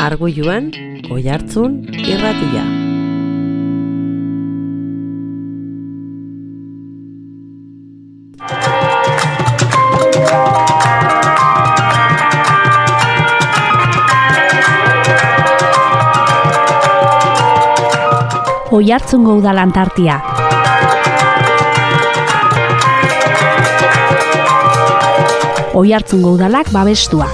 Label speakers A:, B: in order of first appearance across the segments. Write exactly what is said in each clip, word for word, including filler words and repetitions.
A: Arguiluan, Oihartzun irratia.
B: Oihartzungo udalan tartia. Oihartzungo udalak babestua.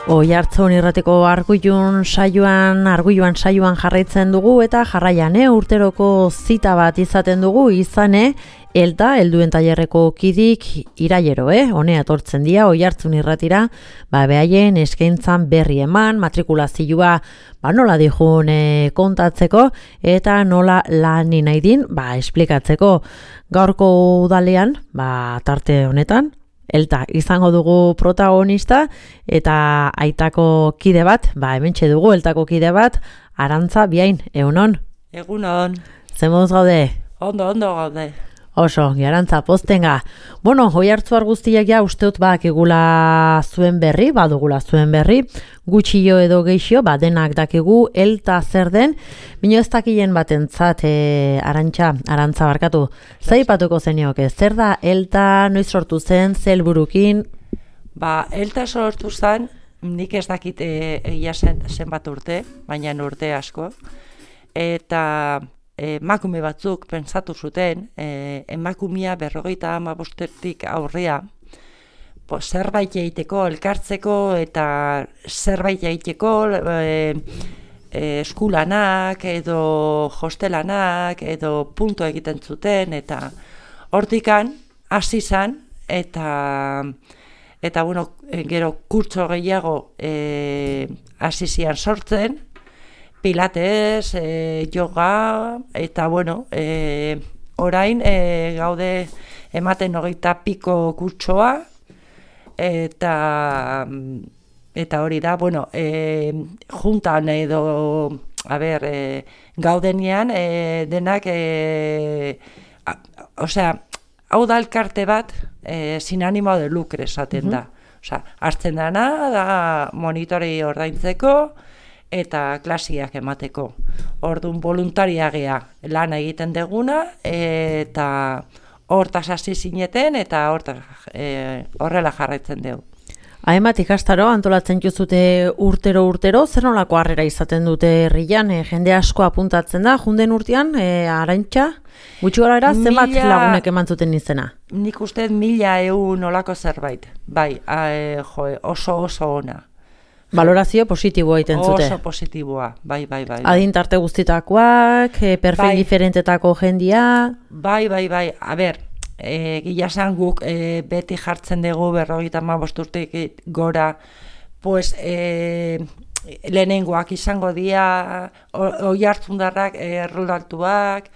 A: Oihartzun irratiko arguilun saioan, arguiluan saioan jarraitzen dugu eta jarraian eh, urteroko zita bat izaten dugu izane elta helduen tailerreko kidik irailero, eh, honea etortzen dira Oihartzun irratira, ba behaien eskaintzan berri eman, matrikulazioa ba nola dijun eh, kontatzeko eta nola lani nahi din, ba esplikatzeko. Gaurko udalean, ba tarte honetan elta izango dugu protagonista eta aitako kide bat, ba hementxe dugu eltako kide bat, Arantza Biain, egunon?
C: Egunon.
A: Zemuz gaude?
C: Ondo, ondo gaude.
A: Oso, Arantza, poztenga. Bueno, Oihartzuar guztiak ja usteot bakigula zuen berri, badugula zuen berri, gutxio edo geixio, ba denak dakigu elta zer den, bino ez dakilen batentzat e, Arantxa, Arantza barkatu. Zaipatuko zenioke, zer da elta, noiz sortu zen, ze helburukin?
C: Ba, elta sortu zen, nik ez dakit egia zen zenbat urte, baina urte asko, eta emakume batzuk pentsatu zuten, eh, emakumea berrogeita hamabostetik aurrea, po, zerbait egiteko, elkartzeko eta zerbait egiteko eh, eh, eskulanak edo hostelanak edo punto egiten zuten eta hortikan hasi zen eta eta bueno, gero kurtso gehiago eh, hasi zian sortzen, pilates, e, yoga, eta bueno, e, orain e, gaude ematen hogeita piko kurtsoa, eta eta hori da, bueno, e, juntan edo, a ber, e, gaudenean e, denak, e, a, osea, hau da elkarte bat, e, sin ánimo de lucre esaten da. Osea, hartzen dana, da monitorei ordaintzeko, eta klasiak emateko. Orduan voluntaria gea lana egiten deguna eta hortaz hasi zineten eta hortaz e, horrela jarraitzen dugu.
A: Hainbat ikastaro antolatzen juzute urtero urtero, zer nolako harrera izaten dute herrian, e, jende asko apuntatzen da, junden urtean, e, Arantxa, gutxi gara era, zenbat mila... lagunek eman zuten izena?
C: Nik uste mila eun olako zerbait, bai, a, e, jo, oso oso ona.
A: Valorazio positiboa egiten zute.
C: Oso positiboa, bai, bai, bai.
A: Adin tarte guztitakoak, perfil bai. Diferentetako jendia.
C: Bai, bai, bai, a ber, e, gila esan guk e, beti jartzen dugu berrogeita hamabost urtetik gora, pues e, lehenengoak izango dira, Oihartzundarrak erroldatuak,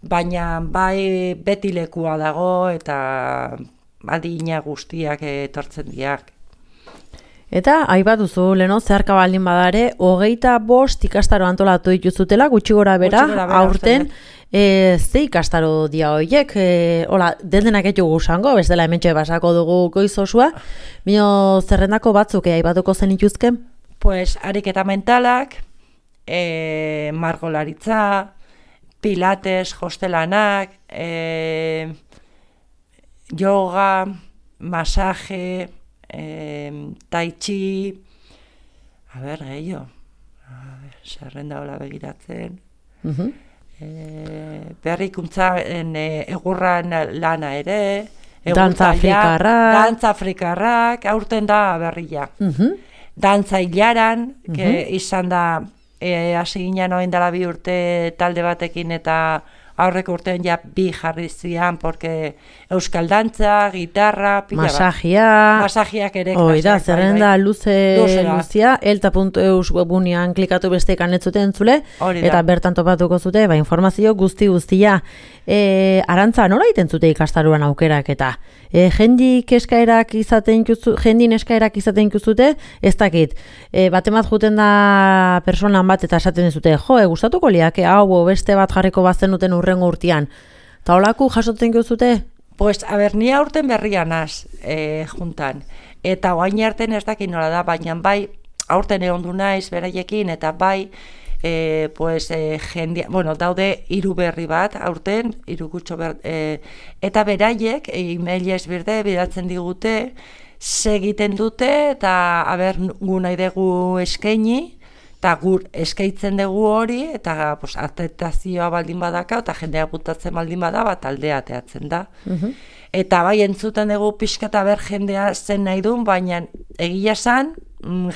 C: baina bai beti lekua dago eta adina guztiak etortzen diak.
A: Eta, aibat duzu, leno, zeharka baldin badare, hogeita bost ikastaro antolatu dituzutela, gutxi gora bera, aurten, e, ze ikastaro dia horiek, e, hola, dendenak etxugu zango, bestela hementxe basako dugu goiz osua, bino zerrendako batzuk, e, aibatuko zen ituzken?
C: Pues, ariketa mentalak, e, margolaritza, pilates, hostelanak, e, yoga, masaje, Eh, tai chi, a ber, gehiago, zerrenda hola begiratzen, uh-huh. eh, berrikuntzaren eh, egurran lana ere,
A: dantza afrikarrak,
C: dantza afrikarrak, aurten da berria. Uh-huh. Dantza hilaran, uh-huh. izan da, eh, hasi ginen oen dela bi urte talde batekin eta aurreko urtean ja bi jarri zian, porque euskal dantza, gitarra, pila
A: masajia,
C: bat. Masajiak ere.
A: Oida, zerrenda luze luzia, elta puntu eus webunean klikatu bestekan ez zuten entzule, eta bertan topatuko zute, ba, informazio guzti guztia. E, Arantza, nola egiten zute ikastaruan aukerak eta? E, jendik eskaerak izaten juzu, jendin eskaerak izaten juzute, ez dakit. E, batemat juten da personan bat eta esaten dizute, jo, e, gustatuko liake, hau, beste bat jarriko bazen duten urrengo urtean. Ta holaku jasotzen juzute?
C: Pues, a ber, ni aurten berria naz e, juntan. Eta oain arten ez dakit nola da, baina bai, aurten egon du naiz beraiekin, eta bai, e, pues, e, jendia, bueno, daude hiru berri bat, aurten, hiru gutxo ber, e, eta beraiek, e-mailez birde, bidaltzen digute, segiten dute, eta, a ber, gu nahi dugu eskaini, eta gur eskaitzen dugu hori, eta pues, atentazioa baldin badaka, eta jendea gutatzen baldin bada, bat aldea ateatzen da. Uh-huh. Eta bai entzuten dugu pixka eta ber jendea zen nahi duen, baina egia esan,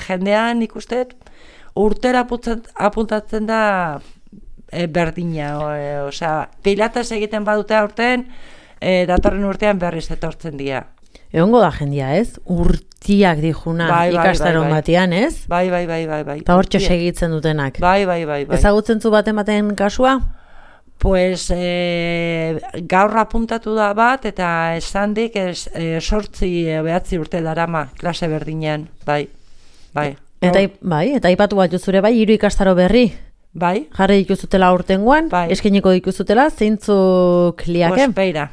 C: jendean ikustet, urtera apuntatzen da e, berdina. E, osea, pilates egiten badute aurten, e, datorren urtean berriz etortzen dira.
A: Egongo da jendia, ez? Urtiak dijuna bai, bai, ikastaron bai, bai. Batean, ez?
C: Bai, bai, bai, bai, bai.
A: Eta hortxe segitzen dutenak.
C: Bai, bai, bai, bai.
A: Ezagutzen zu baten baten kasua?
C: Pues e, gaur apuntatu da bat, eta esan dik es, e, sortzi e, behatzi urte darama klase berdinean, bai, bai.
A: Eta, bai, eta ipatu bat juzure bai, hiru ikastaro berri?
C: Bai.
A: Jarri dituzutela aurtengoan, bai. Eskeniko dituzutela, zeintzuk liake?
C: Pues beira.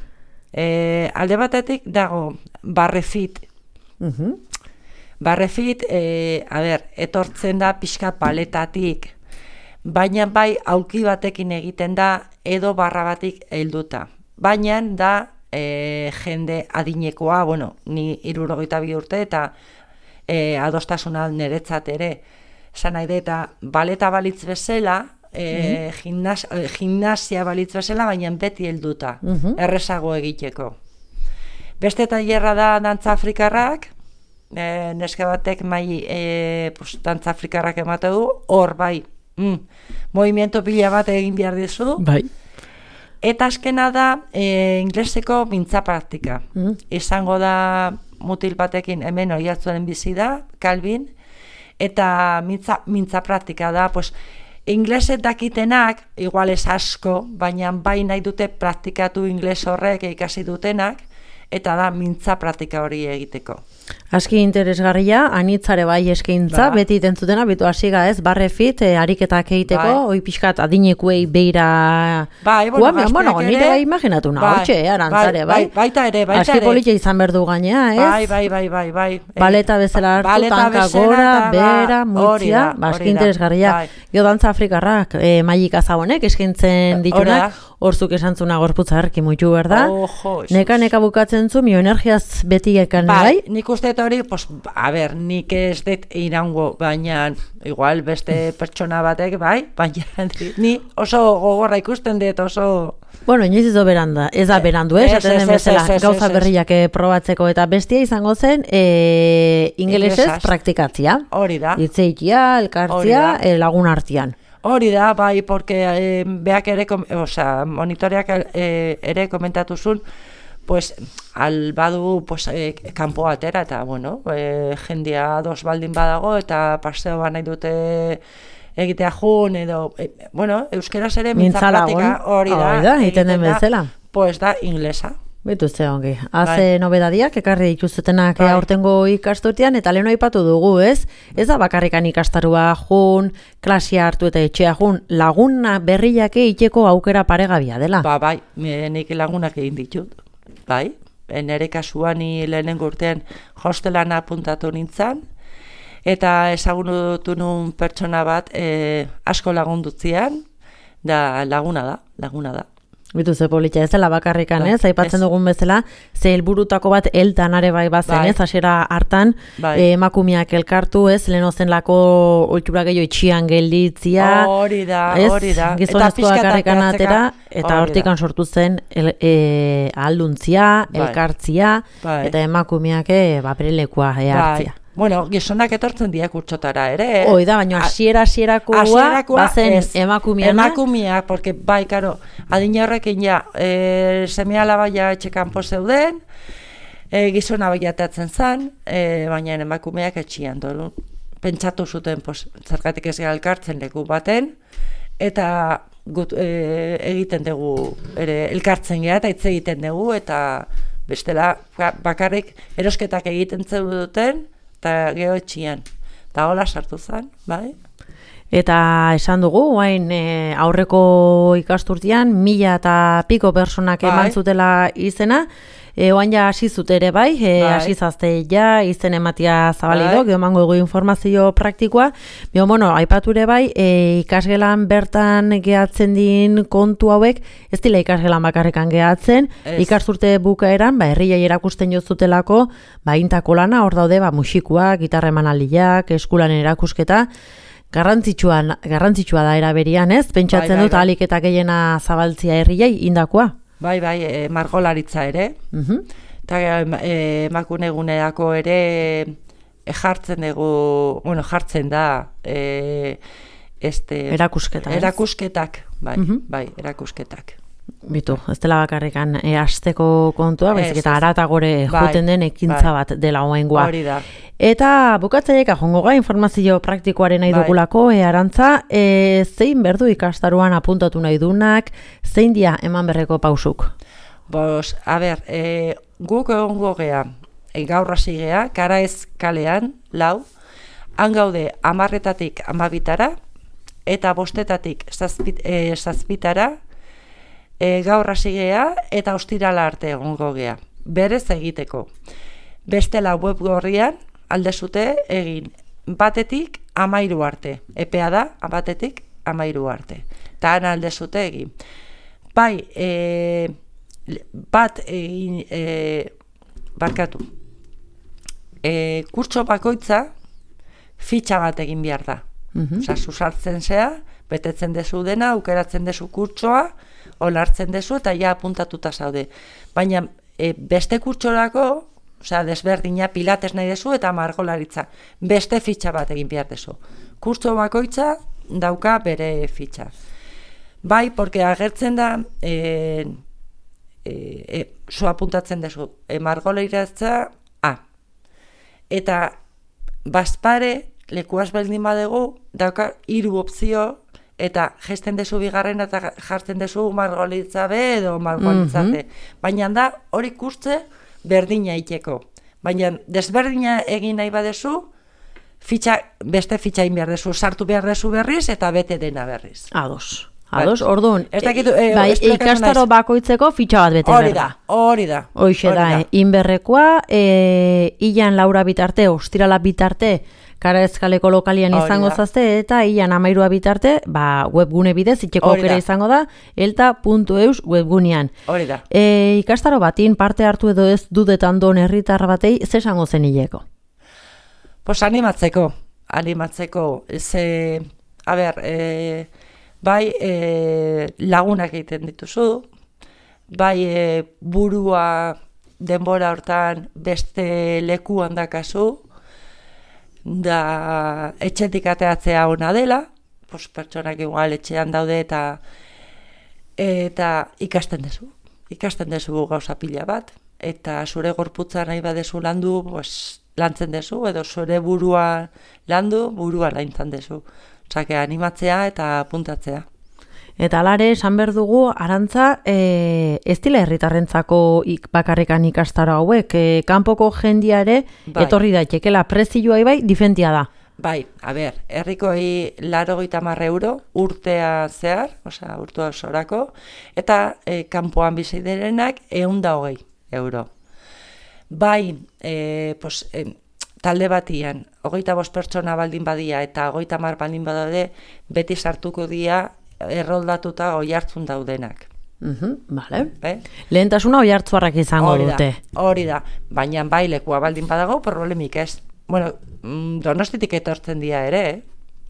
C: E, alde batetik dago barrefit. Uh-huh. Barrefit, e, a ber, etortzen da pixka paletatik, baina bai aulki batekin egiten da edo barra batik helduta. Baina da e, jende adinekoa, bueno, ni hirurogeita bi urte eta e, adostasuna niretzat ere. Esan nahi eta baleta balitz bezala, E, uh-huh. gimnas, gimnasia balitz bezala, baina beti helduta, uh-huh. errezago egiteko. Beste tailerra da dantza afrikarrak, e, neske batek mai e, pues, dantza afrikarrak emate du, hor bai, mm, movimiento pila bat egin behar dizu.
A: Bai.
C: Eta azkena da e, ingleseko mintza praktika. Uh-huh. Izango da mutil batekin hemen oihartzunen bizi da, Calvin, eta mintza, mintza praktika da, pues, ingleset dakitenak, igual ez asko, baina bai nahi dute praktikatu ingles horrek ikasi dutenak, eta da mintza praktika hori egiteko.
A: Aski interesgarria, anitzare bai eskaintza, ba. Beti tentzutena, bitu hasiga ez, barrefit, e, ariketak egiteko, bai. Oi pixkat adinekuei beira...
C: Bai, bueno,
A: Guame, bueno, nire bai imaginatu nahi, bai, hotxe, arantzare, bai.
C: bai. Baita ere, baita
A: Aski
C: ere.
A: politia izan berdu gainea, ez?
C: Bai, bai, bai, bai, bai.
A: Baleta bezala hartu,
C: Baleta
A: tanka
C: bezala,
A: gora,
C: ba,
A: bera, muitzia, ba, aski interesgarria.
C: Bai.
A: Gio dantza afrikarrak, e, maik azabonek, eskaintzen ditunak, horzuk esantzuna gorputza erki muitu, berda?
C: Ojo,
A: neka, neka bukatzen zu, mio energiaz beti ekan, bai?
C: Bai, nik uste hori, pues, a ber, nik ez dut irango, baina igual beste pertsona batek, bai, baina ni oso gogorra ikusten dut, oso...
A: Bueno, inoiz izo beranda, ez da berandu, eh? Esaten den bezala, gauza berriak probatzeko, eta bestia izango zen, e, ingelesez praktikatzia.
C: Hori da.
A: Hitzeikia, elkartzia, e, lagun artean.
C: Hori da, bai, porque eh, beak ere, o sea, monitoreak eh, ere komentatu zuen, pues, al badu, pues, eh, kanpo atera, eta, bueno, eh, jendia dos baldin badago, eta paseo ba nahi dute egitea jun, edo, eh, bueno, euskeraz ere mintza pratika, hori da,
A: hori da, egiten den bezala.
C: Pues da, inglesa.
A: Bitu ze ongi. Haze nobedadiak ekarri dituzutenak bai. Aurtengo ikasturtean, eta lehen aipatu dugu, ez? Ez da bakarrikan ikastarua jun, klasia hartu eta etxea jun, laguna berriak egiteko aukera paregabia dela.
C: Ba, bai, nik lagunak egin ditut, bai. Nere kasuan ni lehenengo urtean hostelan apuntatu nintzen, eta ezagunutu nun pertsona bat e, asko lagundutzean, da laguna da, laguna da.
A: Bitu ze politia ez dela bakarrikan, ez? Aipatzen dugun bezala, ze helburutako bat eltan are bai bazen, bai. Ez? Hasiera hartan, bai. e, emakumeak elkartu, ez? Lehen ozenlako ohitura gehiago itxian gelditzia.
C: Hori da, hori da.
A: Gizonezko bakarrikan atera, eta hortikan sortu zen el, e, ahalduntzia, bai. Elkartzia, bai. Eta emakumeak e, ba, berelekua e, hartzia. Bai.
C: Bueno, gizonak etortzen dira kurtsotara ere, eh?
A: Hoi da, baina hasiera hasierakoa bazen emakumeana.
C: Emakumeak, porque bai, karo, adina horrekin ja, e, seme-alaba ja etxekanpo zeuden, e, gizona baiatatzen zen, e, baina emakumeak etxian dolu. Pentsatu zuten, pues, zergatik ez elkartzen leku baten, eta gut, e, egiten dugu, ere, elkartzen gara, eta hitz egiten dugu, eta bestela bakarrik erosketak egiten zeuduten, eta geho etxian. Eta hola sartu zen, bai?
A: Eta esan dugu, hain e, aurreko ikasturtean, mila eta piko personak eman zutela izena, e, oain ja hasi zute ere bai, e,
C: bai.
A: hasi zazte ja, izen ematia zabalido, bai. Geomango dugu informazio praktikoa, bio, bueno, aipature bai, e, ikasgelan bertan gehatzen din kontu hauek, ez dila ikasgelan bakarrekan gehatzen, ez. Ikasturte bukaeran, ba, herriai erakusten jozutelako, ba, intako lana, hor daude, ba, musikuak, gitarra emanaldiak, eskulanen erakusketa, Garrantzitsua, garrantzitsua da eraberian, ez? Pentsatzen bai, bai, dut ahalik eta gehiena zabaltzia herriei indakoa.
C: Bai, bai, e, margolaritza ere. Uh-huh. Eta e, emakunegunerako ere e, jartzen dugu, bueno, jartzen da e, este,
A: erakusketak.
C: Erakusketak, bai, uh-huh. bai, erakusketak.
A: Bitu, ez dela bakarrikan e, asteko kontua, baizik eta aratagore
C: bai,
A: joten den ekintza bai. Bat dela oaingoa.
C: Hori da.
A: Eta bukatzaiek ajongo ga informazio praktikoaren nahi bai. Dugulako, e, Arantza, e, zein berdu ikastaruan apuntatu nahi dunak, zein dia eman berreko pausuk?
C: Bos, a ber, e, guk egongo gea, e, gaur hasi gea, Karaez kalean, lau, han gaude amarretatik amabitara, eta bostetatik zazpit, e, zazpitara, E, gaur hasi gea eta ostirala arte egongo gea. Berez egiteko. Bestela web gorrian aldezute egin batetik amairu arte. Epea da, batetik amairu arte. Eta han aldezute egin. Bai, e, bat egin, e, barkatu. E, kurtso bakoitza fitxa bat egin behar da. Mm-hmm. Osa, susartzen zea, betetzen dezu dena, aukeratzen dezu kurtsoa, olartzen dezu eta ja apuntatuta zaude. Baina e, beste kurtsorako, osea, desberdina pilates nahi dezu eta margolaritza. Beste fitxa bat egin behar dezu. Kurtso bakoitza dauka bere fitxa. Bai, porque agertzen da, e, e, e, zu apuntatzen dezu, e, margolaritza A. Eta bazpare, lekuaz baldin badegu, dauka hiru opzio, eta gesten dezu bigarren eta jartzen dezu margolaritza B edo margolaritza C. Mm-hmm. Baina da hori kurtze berdina iteko. Baina desberdina egin nahi badezu, fitxa, beste fitxa egin behar dezu, sartu behar dezu berriz eta bete dena berriz.
A: Ados. Ados, orduan,
C: e, e,
A: bai, ikastaro bakoitzeko fitxa bat bete
C: hori da. Hori da.
A: Hoixe da, da. Inberrekoa, e, ilan laura bitarte, ostirala bitarte, Karaezkaleko lokalian izango zazte, eta ilan amairua bitarte, ba, webgune bidez, itxeko aukera izango da, elta puntu eus webgunean.
C: Hori da.
A: E, ikastaro batin parte hartu edo ez dudetan don herritar batei, ze esango zen hileko?
C: Pues animatzeko, animatzeko, ze, a ber, e, bai e, lagunak egiten dituzu, bai e, burua denbora hortan beste leku handakazu, da etxetik ateatzea ona dela, pues, pertsonak igual etxean daude eta eta ikasten dezu, ikasten dezu gauza pila bat, eta zure gorputza nahi badezu landu, pues, lantzen dezu, edo zure burua landu, burua laintzen dezu. Osake, animatzea eta apuntatzea.
A: Eta alare, esan behar dugu, Arantza, e, ez dila herritarrentzako ik, bakarrekan ikastaro hauek, e, kanpoko jendia ere, bai. Etorri daitekela, prezioa bai, difentia da.
C: Bai, a ber, herrikoi laurogeita hamar euro, urtea zehar, osea, urtua osorako, eta e, kanpoan bizi direnak ehun eta hogei euro. Bai, e, pues, e, talde batian, hogeita bost pertsona baldin badia eta hogeita hamar baldin badaude, beti sartuko dira erroldatuta oihartzun daudenak.
A: Uh-huh, vale.
C: Be?
A: Lehentasuna oihartzuarrak izango
C: hori da,
A: dute.
C: Hori da, baina bai lekua baldin badago, problemik ez. Bueno, Donostitik etortzen dira ere, eh?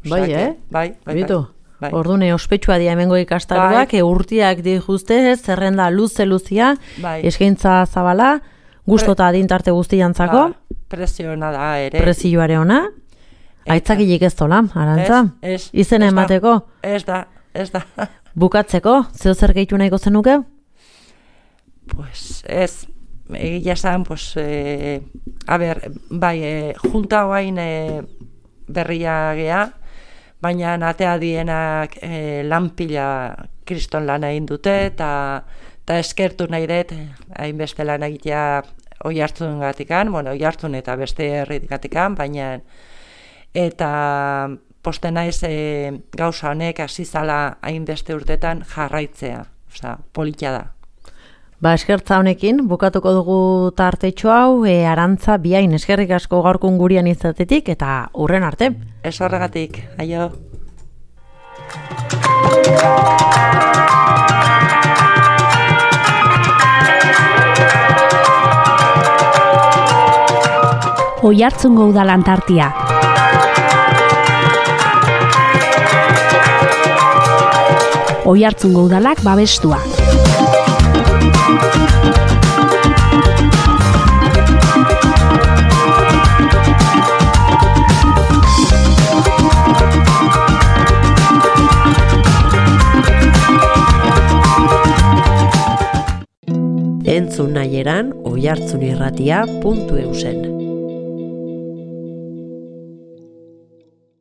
A: Bai, eh?
C: Bai, bai,
A: Bitu.
C: Bai.
A: Ordune ospetsua dia hemengo ikastaroak, bai. Urtiak di juste, zerrenda luze luzia, bai. Eskaintza zabala, gustota adintarte guztiantzako.
C: Ba, presiona da ere.
A: Presioare ona. Aitzakilik ez dola, Arantza?
C: Ez, ez.
A: Izen emateko?
C: Ez da, ez da.
A: Bukatzeko, zeo zer gehitu nahiko zenuke?
C: Pues ez, egia esan, pues, e, a ber, bai, e, junta hoain e, berria gea, baina atea dienak e, lanpila kriston lan egin dute, eta eskertu nahi dut, hainbeste lan egitea oihartzun gatikan, bueno, oihartzun eta beste herritik gatikan, baina eta poste naiz e, gauza honek hasi zala hainbeste urtetan jarraitzea. Osea, politia da.
A: Ba, eskertza honekin, bukatuko dugu tartetxo hau, e, Arantza Biain, eskerrik asko gaurkun gurian izatetik, eta hurren arte.
C: Ez horregatik, aio.
B: Oiartzungo Udalantartia. Oiartzungo Udalak babestua.
A: Entzun nahi eran oiartzunirratia puntu eusen.